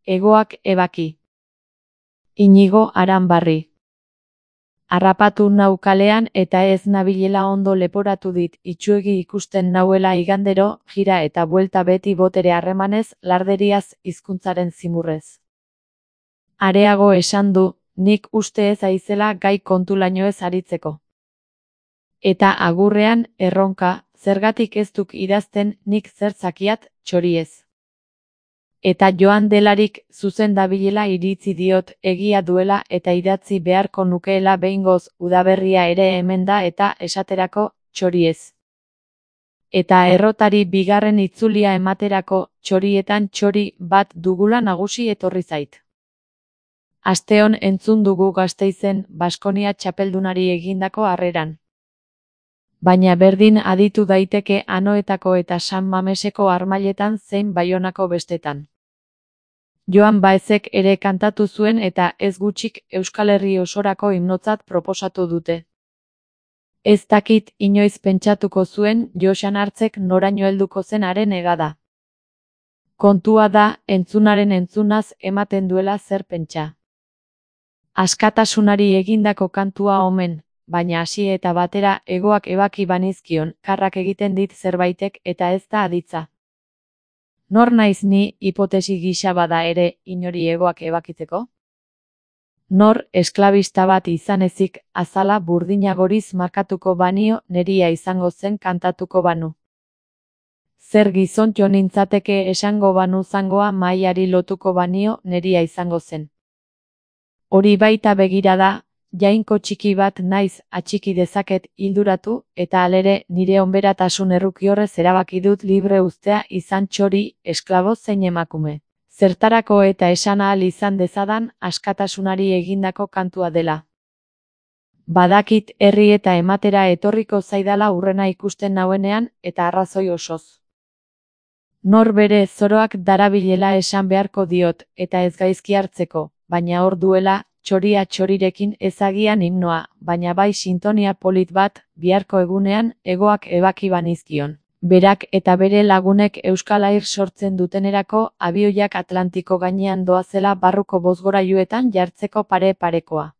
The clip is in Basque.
Hegoak ebaki. Inigo Aranbarri. Harrapatu nau kalean eta ez nabilela ondo leporatu dit, itsuegi ikusten nauela igandero, jira eta buelta beti botere harremanez, larderiaz, hizkuntzaren zimurrez. Areago esan du, nik uste ez aizela gai kontulaino ez aritzeko. Eta agurrean, erronka, zergatik ez duk idazten nik zer zakiat, txoriez. Eta joan delarik zuzen dabilela iritzi diot, egia duela eta idatzi beharko nukeela behingoz, udaberria ere hemen da eta esaterako, txoriez. Eta errotari bigarren itzulia ematerako, txorietan txori bat dugula nagusi etorri zait. Asteon entzun dugu Gasteizen, Baskonia txapeldunari egindako harreran. Baina berdin aditu daiteke Anoetako eta San Mameseko harmailetan zein Baionako bestetan. Joan Baezek ere kantatu zuen eta ez gutxik Euskal Herri osorako himnotzat proposatu dute. Ez dakit inoiz pentsatuko zuen Joxan Hartzek noraino helduko zen haren egada. Kontua da, entzunaren entzunaz ematen duela zer pentsa. Askatasunari egindako kantua omen, baina hasi eta batera hegoak ebaki banizkion, karrak egiten dit zerbaitek eta ez da aditza. Nor naiz ni, hipotesi gisa bada ere, inori hegoak ebakitzeko? Nor, esklabista bat izan ezik, azala burdinagoriz markatuko banio, neria izango zen kantatuko banu. Zer gizontxo nintzateke esango banu zangoa maiari lotuko banio, neria izango zen. Hori baita begira da, jainko txiki bat naiz, atxiki dezaket, hilduratu, eta alere nire onberatasun errukiorrez erabaki dut libre uztea izan txori, esklabo zein emakume. Zertarako eta esan ahal izan dezadan, askatasunari egindako kantua dela. Badakit herri eta ematera etorriko zaidala urrena ikusten nauenean, eta arrazoi osoz. Nor bere zoroak darabilela esan beharko diot, eta ez gaizki hartzeko, baina hor duela, txoria txorirekin ezagian himnoa, baina bai sintonia polit bat, biharko egunean, hegoak ebaki banizkion. Berak eta bere lagunek Euskal Air sortzen dutenerako, abioiak Atlantiko gainean doazela barruko bozgorailuetan jartzeko pare-parekoa.